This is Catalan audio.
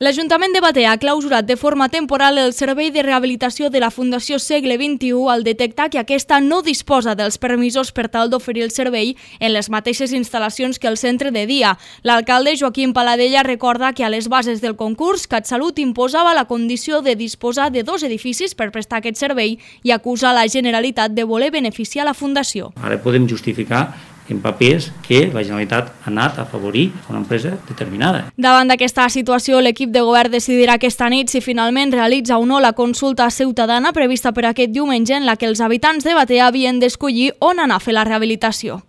L'Ajuntament de Batea ha clausurat de forma temporal el servei de rehabilitació de la Fundació Segle XXI al detectar que aquesta no disposa dels permisos per tal d'oferir el servei en les mateixes instal·lacions que el centre de dia. L'alcalde Joaquim Paladella recorda que a les bases del concurs CatSalut imposava la condició de disposar de 2 edificis per prestar aquest servei i acusa la Generalitat de voler beneficiar la Fundació. Ara podem justificar en papers que la Generalitat ha anat a afavorir una empresa determinada. Davant d'aquesta situació, l'equip de govern decidirà aquesta nit si finalment realitza o no la consulta ciutadana prevista per aquest diumenge en la que els habitants de Batea havien d'escollir on anar a fer la rehabilitació.